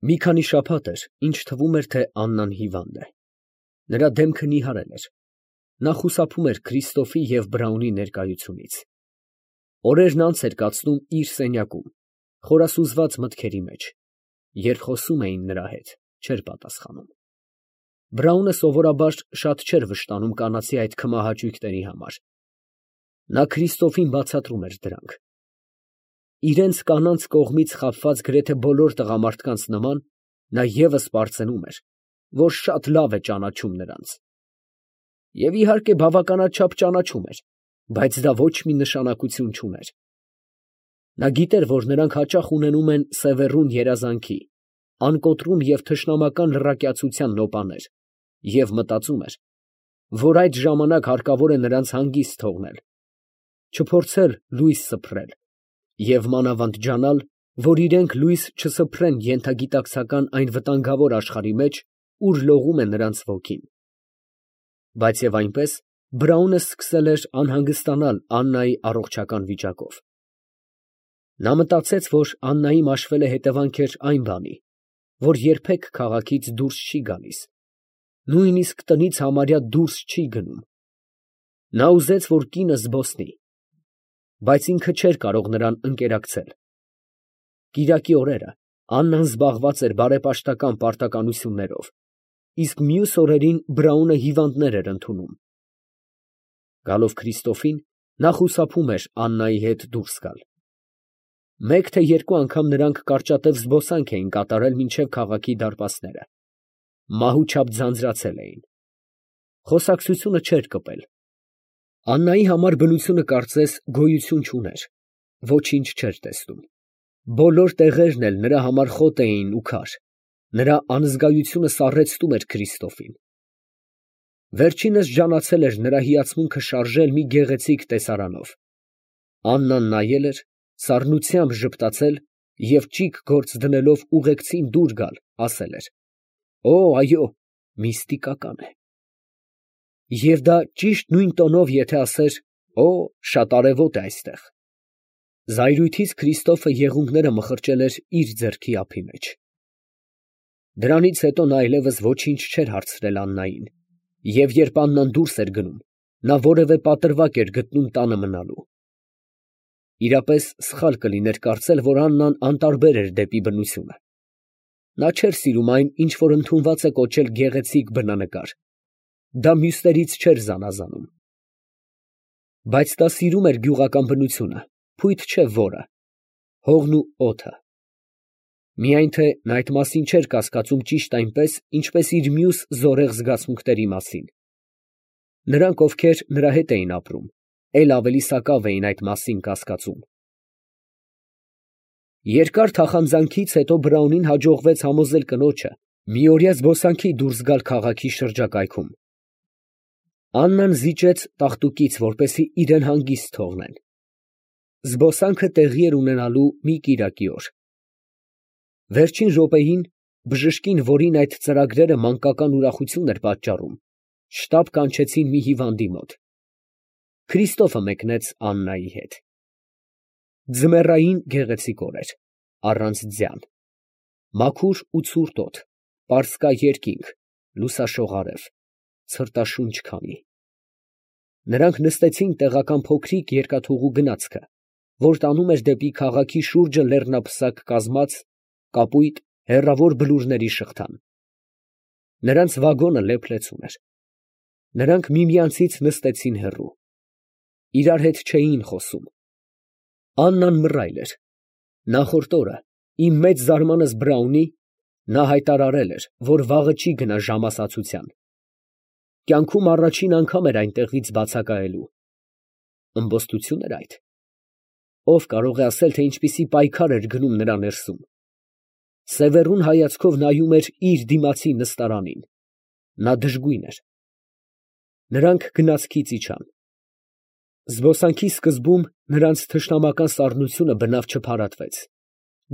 Մի քանի շաբաթ էր, ինչ թվում էր, թե Աննան հիվանդ է. նրա դեմքը նիհարել էր, նա խուսափում էր Քրիստոֆի և Բրաունի ներկայությունից, օրերն անց էր կացնում իր սենյակում, խորասուզված մտքերի մեջ, երբ խոսում էին նրա հետ, չէր պատասխանում։ Բրաունը սովորաբար շատ չէր վշտանում կանացի այդ քմահաճույքների համար, նա Քրիստոֆին բացատրում էր դրանք։ Իրենց կանանց կողմից խաբված գրեթե բոլոր տղամարդկանց նման, նա ևս պարծենում էր, որ շատ լավ է ճանաչում նրանց։ Եվ իհարկե բավականաչափ ճանաչում էր, բայց դա ոչ մի նշանակություն չուներ։ Նա գիտեր, որ նրանք հաճախ ունենում են սևեռուն երազանքի, անկոտրում և թշնամական լռակյացության նոպաներ, և մտածում էր, որ այդ ժամանակ հարկավոր է նրանց հանգիստ թողնել, չփորձել լույս սփռել և մանավանդ ջանալ, որ իրենք լույս չսփռեն ենթագիտակցական այն վտանգավոր աշխարհի մեջ, ուր լողում է նրանց ոգին։ Բայց և այնպես, Բրաունը սկսել էր անհանգստանալ Աննայի առողջական վիճակով։ Նա մտածեց, որ Աննայի մաշվել է հետևանքեր այն բանի, որ երբեք քաղաքից դուրս չի գալիս, նույնիսկ տնից համարյա դուրս չի գնում։ Նա ուզեց, որ կինը զբոսնի, բայց ինքը չէր կարող նրան ընկերակցել։ Կիրակի օրերը Աննան զբաղված էր բարեպաշտական պարտականություններով, իսկ մյուս օրերին Բրաունը հիվանդներ էր ընդունում։ Գալով Քրիստոֆին, նա խուսափում էր Աննայի հետ դուրս գալ։ Մեկ թե երկու անգամ նրանք կարճատև զբոսանք էին կատարել մինչև քաղաքի դարպասները։ Մահու չափ ձանձրացել էին։ Խոսակցությունը չէր կպել։ Աննայի համար բնությունը կարծես գոյություն չուներ, ոչինչ չէր տեսնում։ Բոլոր տեղերն էլ նրա համար խոտ էին ու քար, նրա անզգայությունը սառեցնում էր Քրիստոֆին։ Վերջինս ջանացել էր նրա հիացմունքը շարժել մի գեղեցիկ տեսարանով։ Աննան նայել էր, սառնությամբ ժպտացել և ճիգ գործ դնելով ուղեկցին դուր գալ, ասել էր. «Օ, այո, միստիկական է»։ Եվ դա ճիշտ նույն տոնով եթե ասեր. «Օ, շատ արևոտ է այստեղ»։ Զայրույթից Քրիստոֆը եղունգները մխրճել էր իր ձեռքի ափի մեջ։ Դրանից հետո նա այլևս ոչինչ չէր հարցրել Աննային, և երբ Աննան դուրս էր գնում, նա որևէ պատրվակ էր գտնում տանը մնալու։ Իրապես սխալ կլիներ կարծել, որ Աննան անտարբեր էր դեպի բնությունը։ Նա չէր սիրում այն, ինչ որ ընդունված է կոչել գեղեցիկ բնանկար, դա մյուսներից չէր զանազանում։ Բայց նա սիրում էր գյուղական բնությունը, փույթ չէ որը, հողն ու օդը։ Միայն թե նա այդ մասին չէր կասկածում ճիշտ այնպես, ինչպես իր մյուս զորեղ զգացմունքների մասին։ Նրանք, ովքեր նրա հետ էին ապրում, էլ ավելի սակավ էին այդ մասին կասկածում։ Երկար թախանձանքից հետո Բրաունին հաջողվեց համոզել կնոջը միօրյա զբոսանքի դուրս գալ քաղաքի շրջակայքում։ Աննան զիջեց տաղտուկից, որպեսզի իրան հանգիստ թողնեն։ Զբոսանքը տեղի էր ունենալու մի կիրակի օր։ Վերջին րոպեին բժշկին, որին այդ ծրագրերը մանկական ուրախություն էր պատճառում, շտապ կանչեցին մի հիվանդի մոտ։ Քրիստոֆը մեկնեց Աննայի հետ։ Ձմեռային գեղեցիկ օր էր, առանց ձյան, մաքուր ու ցուրտ օդ, պարսկա երկինք, լուսաշող արև, ցրտաշունչ քամի։ Նրանք նստեցին տեղական փոքրիկ երկաթուղու գնացքը, որ տանում էր դեպի քաղաքի շուրջը լեռնապսակ կազմած կապույտ հեռավոր բլուրների շղթան։ Նրանց վագոնը լեփ-լեցուն էր։ Նրանք միմյանցից նստեցին հեռու։ Իրար հետ չէին խոսում։ Աննան մռայլ էր։ Նախորդ օրը, իմ մեծ զարմանս Բրաունի, նա հայտարարել էր, որ վաղը չի գնա ժամասացության։ Կյանքում առաջին անգամ էր այնտեղից բացակայելու։ Ըմբոստություն էր այդ։ Ով կարող է ասել, թե ինչպիսի պայքար էր գնում նրա ներսում։ Սևեռուն հայացքով նայում էր իր դիմացի նստարանին։ Նա դժգույն էր։ Նրանք գնացքից իջան։ Զբոսանքի սկզբում նրանց թշնամական սառնությունը բնավ չփարատվեց։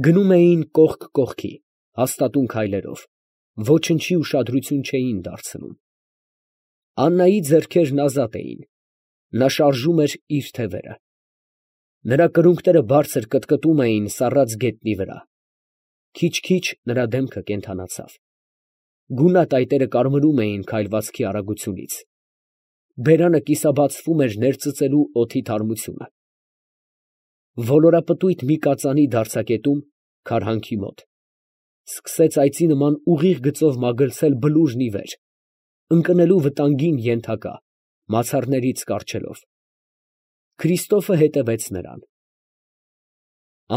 Գնում էին կողք կողքի, հաստատուն քայլերով, ոչնչի ուշադրություն չէին դարձնում։ Աննայի ձեռքերն ազատ էին։ Նա շարժում էր իր թևերը։ Նրա կրունկները բարձր կտկտում էին սառած գետնի վրա։ Քիչ-քիչ նրա դեմքը կենդանացավ։ Գունատ այտերը կարմրում էին քայլվածքի արագությունից։ Բերանը կիսաբացվում էր ներծծելու օդի թարմությունը։ Ոլորապտույտ մի կածանի դարձակետում, քարհանքի մոտ, սկսեց այծի նման ուղիղ գծով մագլցել բլուրն ի վեր, ընկնելու վտանգին ենթակա, մացառներից կառչելով։ Քրիստոֆը հետևեց նրան։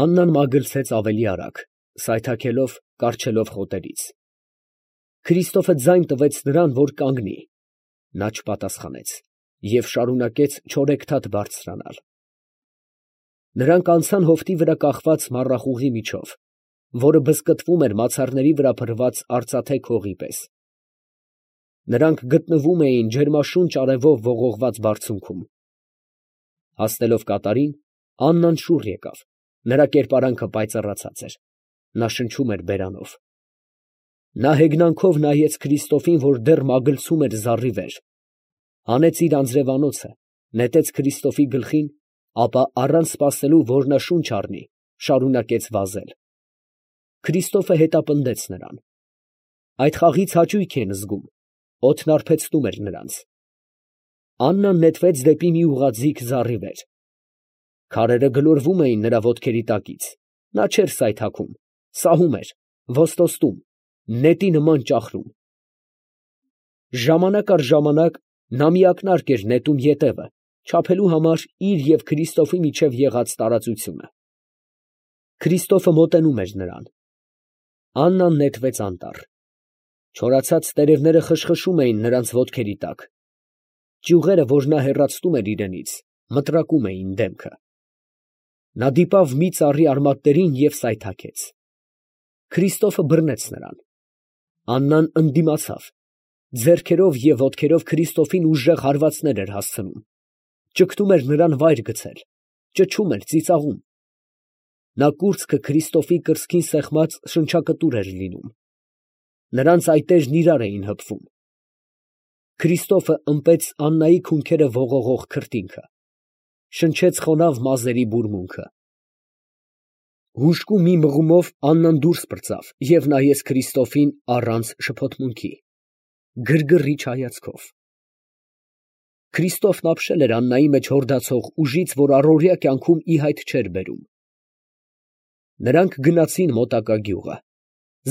Աննան մագլցեց ավելի արագ, սայթաքելով, կառչելով խոտերից։ Քրիստոֆը ձայն տվեց նրան, որ կանգնի։ Նա չպատասխանեց և շարունակեց չորեքթաթ բարձրանալ։ Նրանք անցան հովտի վրա կախված մառախուղի միջով, որը բզկտվում էր մացառների վրա փռված արծաթե քողի պես։ Նրանք գտնվում էին ջերմաշունչ արևով ողողված բարձունքում։ Հասնելով կատարին, Աննան շուռ եկավ, նրա կերպարանքը պայծառացած էր, նա շնչում էր բերանով։ Նա հեգնանքով նայեց Քրիստոֆին, որ դեռ մագլցում էր զառի վեր, հանեց իր անձրևանոցը, նետեց Քրիստոֆի գլխին, ապա առանց սպասելու, որ նա շունչ առնի, շարունակեց վազել։ Քրիստոֆը հետապնդեց նրան։ Այդ խաղից հաճույք են զգում, օդն արբեցնում էր նրանց։ Աննան նետվեց դեպի մի ուղղաձիգ զառի վեր։ Քարերը գլորվում էին նրա ոտքերի տակից, նա չէր սայթաքում, սահում էր, ոստոստում, նետի նման ճախրում։ Ժամանակ առ ժամանակ նա մի ակնարկ էր նետում ետևը, չափելու համար իր և Քրիստոֆի միջև եղած տարածությունը։ Քրիստոֆը մոտենում էր նրան։ Աննան նետվեց անտառ։ Չորացած տերևները խշխշում էին նրանց ոտքերի տակ։ Ճյուղերը, որ նա հեռացնում էր իրենից, մտրակում էին դեմքը։ Նա դիպավ մի ծառի արմատներին և սայթաքեց։ Քրիստոֆը բռնեց նրան։ Աննան ընդդիմացավ, ձեռքերով և ոտքերով Քրիստոֆին ուժեղ հարվածներ էր հասցնում, ճգտում էր նրան վայր գցել, ճչում էր, ծիծաղում։ Նա կուրծքը Քրիստոֆի կրծքին սեղմած շնչակտուր էր լինում։ Նրանց այտերն իրար էին հպվում։ Քրիստոֆը ըմպեց Աննայի քունքերը ողողող քրտինքը, շնչեց խոնավ մազերի բուրմունքը։ Հուժկու մի մղումով Աննան դուրս պրծավ և նայեց Քրիստոֆին առանց շփոթմունքի, գրգռիչ հայացքով։ Քրիստոֆն ապշել էր Աննայի մեջ հորդացող ուժից, որ առօրյա կյանքում ի հայտ չէր բերում։ Նրանք գնացին մոտակա գյուղը,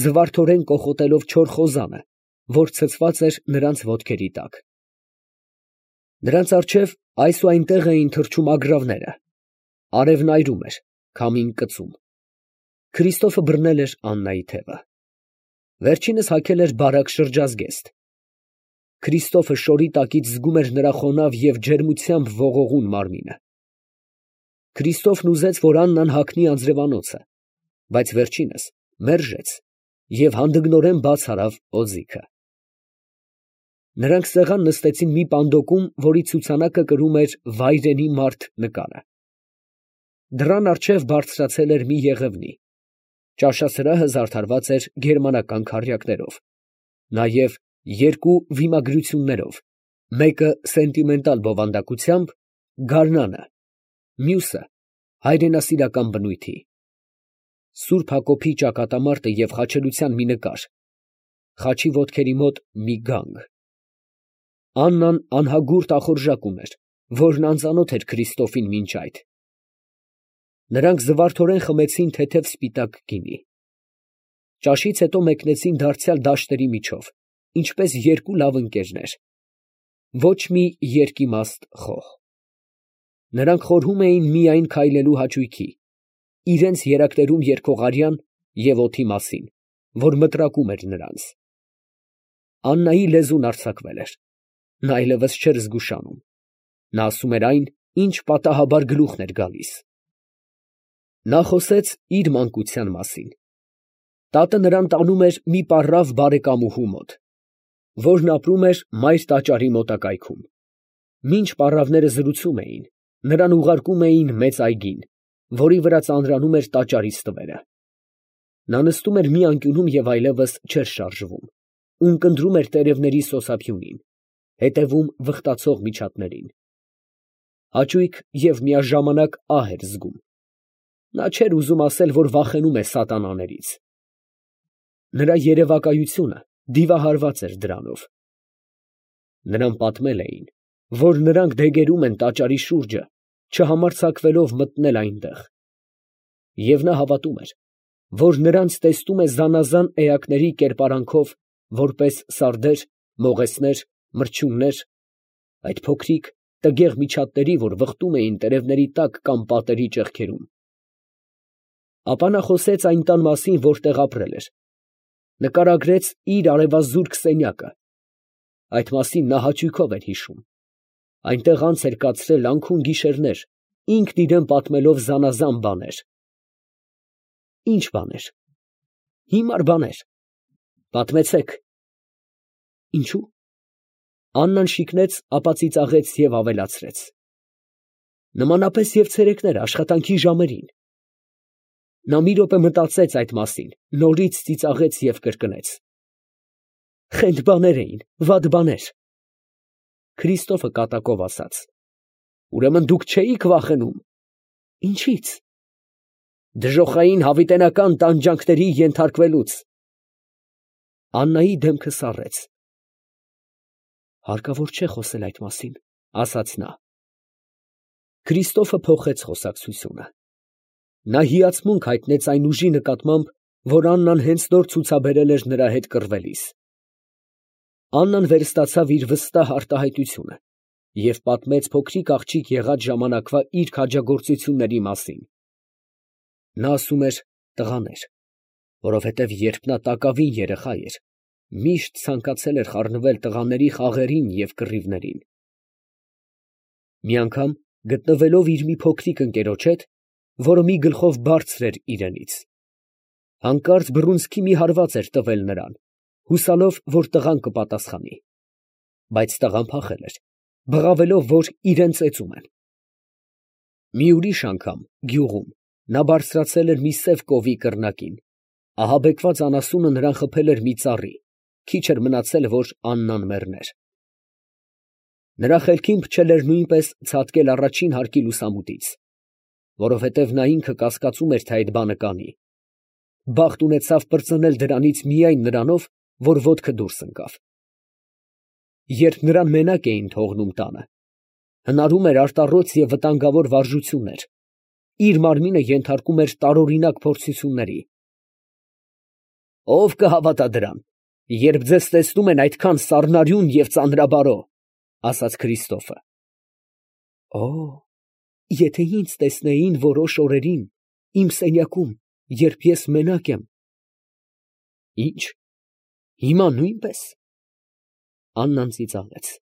զվարթորեն կոխոտելով չոր խոզանը, որ ցցված էր նրանց ոտքերի տակ։ Նրանց առջև այս ու այնտեղ էին թռչում ագռավները, արևն այրում էր, քամին կծում։ Քրիստոֆը բռնել էր Աննայի թևը։ Վերջինս հագել էր բարակ շրջազգեստ։ Քրիստոֆը շորի տակից զգում էր նրա խոնավ և ջերմությամբ ողողուն մարմինը։ Քրիստոֆն ուզեց, որ Աննան հագնի անձրևանոցը, բայց վերջինս մերժեց և հանդգնորեն բաց արավ օձիքը։ Նրանք սեղան նստեցին մի պանդոկում, որի ցուցանակը կրում էր «Վայրենի մարդ» նկարը։ Դռան առջև բարձրացել էր մի եղևնի։ Ճաշասրահը զարդարված էր գերմանական քառյակներով, նաև երկու վիմագրություններով, մեկը սենտիմենտալ բովանդակությամբ, գարնանը, մյուսը հայրենասիրական բնույթի։ Սուրբ Հակոբի ճակատամարտը և խաչելության մի նկար, խաչի ոտքերի մոտ մի գանգ։ Աննան անհագուրդ ախորժակ ուներ, որն անծանոթ էր Քրիստոֆին մինչ այդ։ Նրանք զվարթորեն խմեցին թեթև սպիտակ գինի։ Ճաշից հետո մեկնեցին դարձյալ դաշտերի միջով, ինչպես երկու լավ ընկերներ։ Ոչ մի երկիմաստ խոհ։ Նրանք խորհում էին միայն քայլելու հաճույքի, իրենց երակներում երգող արյան և օդի մասին, որ մտրակում էր նրանց։ Աննայի լեզուն արձակվել էր, նա այլևս չէր զգուշանում, նա ասում էր այն, ինչ պատահաբար գլուխն էր գալիս։ Նա խոսեց իր մանկության մասին։ Տատը նրան տանում էր մի պառավ բարեկամուհու մոտ, որն ապրում էր մայր տաճարի մոտակայքում։ Մինչ պառավները զրուցում էին, նրան ուղարկում էին մեծ այգին, որի վրա ծանրանում էր տաճարի ստվերը։ Նա նստում էր մի անկյունում և այլևս չէր շարժվում, ունկնդրում էր տերևների սոսափյունին, հետևում վխտացող միջատներին։ Հաճույք և միաժամանակ ահ էր զգում։ Նա չէր ուզում ասել, որ վախենում է սատանաներից, Նրա երևակայությունը դիվահարված էր դրանով։ Նրան պատմել էին, որ նրանք դեգերում են տաճարի շուրջը, չհամարձակվելով մտնել այնտեղ։ Եվ նա հավատում էր, որ նրանց տեսնում է զանազան էակների կերպարանքով, որպես սարդեր, մողեսներ, մրջյուններ, այդ փոքրիկ տգեղ միջատների, որ վխտում էին տերևների տակ կամ պատերի ճեղքերում։ Ապա նա խոսեց այն տան մասին, որտեղ ապրել էր, նկարագրեց իր արևազուրկ սենյակը, այդ մասին նա հաճույքով էր հիշում, այնտեղ անց էր կացրել անքուն գիշերներ, ինքն իրան պատմելով զանազան բաներ։ Ի՞նչ բաներ։ Հիմար բաներ։ Պատմեցեք։ Ինչու։ Աննան շիկնեց, ապա ծիծաղեց և ավելացրեց. նմանապես և ցերեկները աշխատանքի ժամերին։ Նա մի րոպե մտածեց այդ մասին, նորից ծիծաղեց և կրկնեց. խենթ բաներ էին, վատ բաներ։ Քրիստոֆը կատակով ասաց. ուրեմն դուք չէիք վախենում։ Ինչի՞ց։ Դժոխային հավիտենական տանջանքների ենթարկվելուց։ Աննայի դեմքը սառեց։ Հարկավոր չէ խոսել այդ մասին, ասաց նա։ Քրիստոֆը փոխեց խոսակցությունը։ Նա հիացմունք հայտնեց այն ուժի նկատմամբ, որ Աննան հենց նոր ցուցաբերել էր նրա հետ կռվելիս։ Աննան վերստացավ իր վստահ արտահայտությունը և պատմեց փոքրիկ աղջիկ եղած ժամանակվա իր քաջագործությունների մասին։ Նա ասում էր տղաներ, որովհետև երբ նա տակավին երեխա էր, միշտ ցանկացել էր խառնվել տղաների խաղերին և կռիվներին։ Մի անգամ, գտնվելով իր մի փոքրիկ ընկերոջ հետ, որը մի գլխով բարձր էր իրենից, հանկարծ բռունցքի մի հարված էր տվել նրան, հուսալով, որ տղան կպատասխանի, բայց տղան փախել էր, բղավելով, որ իրան ծեծում են։ Մի ուրիշ անգամ, գյուղում, նա բարձրացել էր մի սև կովի կռնակին, ահաբեկված անասունը նրան խփել էր մի ծառի, քիչ էր մնացել, որ Աննան մեռներ։ Նրա խելքին փչել էր նույնպես ցատկել առաջին հարկի լուսամուտից, որովհետև նա ինքը կասկածում էր, թե այդ բանը կանի։ Բախտ ունեցավ պրծնել դրանից միայն նրանով, որ ոտքը դուրս ընկավ։ Երբ նրան մենակ էին թողնում տանը, հնարում էր արտառոց և վտանգավոր վարժություններ, իր մարմինը ենթարկում էր տարօրինակ փորձությունների։ Ո՞վ կհավատա դրան, երբ ձեզ տեսնում են այդքան սառնարյուն և ծանրաբարո, ասաց Քրիստոֆը։ Օ, եթե ինձ տեսնեին որոշ օրերին իմ սենյակում, երբ ես մենակ եմ։ Ի՞նչ, հիմա նույնպես։ Աննան ծիծաղեց։